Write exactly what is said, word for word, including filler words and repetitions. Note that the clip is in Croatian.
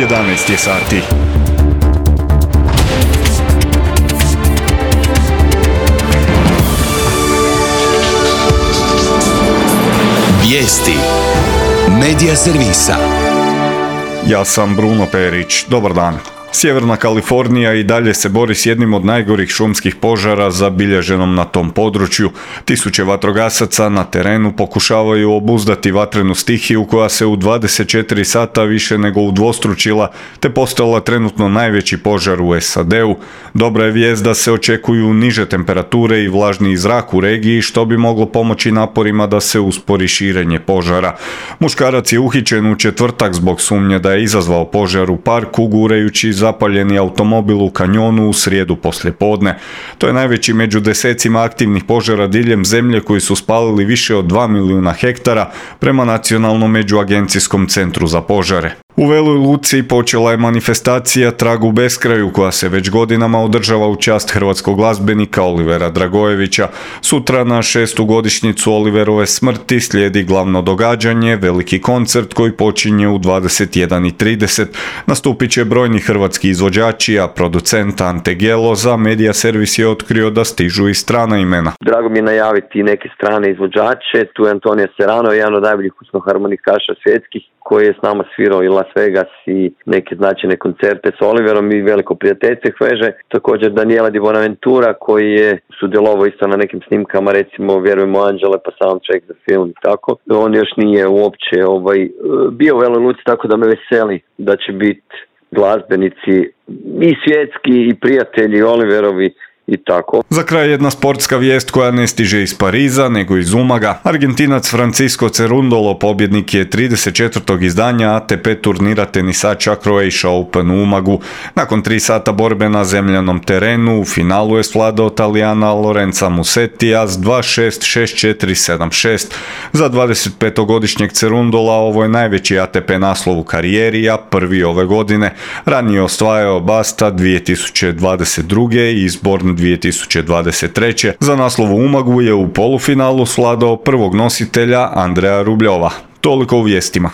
jedanaest je sati. Vijesti Medija servisa. Ja sam Bruno Perić. Dobar dan. Sjeverna Kalifornija i dalje se bori s jednim od najgorih šumskih požara zabilježenom na tom području. Tisuće vatrogasaca na terenu pokušavaju obuzdati vatrenu stihiju koja se u dvadeset četiri sata više nego udvostručila te postala trenutno najveći požar u S A D-u. Dobra je vijest da se očekuju niže temperature i vlažniji zrak u regiji što bi moglo pomoći naporima da se uspori širenje požara. Muškarac je uhićen u četvrtak zbog sumnje da je izazvao požar u parku gurajući zapaljeni automobil u kanjonu u srijedu poslijepodne. To je najveći među desecima aktivnih požara diljem zemlje koji su spalili više od dva milijuna hektara prema Nacionalnom međuagencijskom centru za požare. U Veloj Luci počela je manifestacija Trag u beskraju koja se već godinama održava u čast hrvatskog glazbenika Olivera Dragojevića. Sutra na šestu godišnjicu Oliverove smrti slijedi glavno događanje, veliki koncert koji počinje u dvadeset jedan i trideset. Nastupit će brojni hrvatski izvođači, a producent Ante Gelo za Medija servis je otkrio da stižu i strana imena. Drago mi je najaviti neke strane izvođače, tu je Antonio Serrano, jedan od najboljih harmonikaša svjetskih, koji je s nama svirao i Las Vegas i neke značajne koncerte s Oliverom i veliko prijateljstvo veže. Također Daniela Di Bonaventura koji je sudjelovao isto na nekim snimkama, recimo Vjerujemo Anđele pa soundtrack za film i tako. On još nije uopće ovaj, bio u Veloj Luci, tako da me veseli da će biti glazbenici i svjetski i prijatelji Oliverovi i tako. Za kraj jedna sportska vijest koja ne stiže iz Pariza, nego iz Umaga. Argentinac Francisco Cerundolo pobjednik je trideset četvrtog izdanja A T P turnira tenisača Croatia Open u Umagu. Nakon tri sata borbe na zemljanom terenu, u finalu je svladao Talijana Lorenza Musettija s dva šest, šest četiri, sedam šest. Za dvadesetpetogodišnjeg Cerundola ovo je najveći A T P naslov u karijeri, a prvi ove godine. Ranije osvajao Basta dvije tisuće dvadeset druge i Izborn dvije tisuće dvadeset treće. Za naslov u Umagu je u polufinalu svladao prvog nositelja Andreja Rubljova. Toliko u vijestima.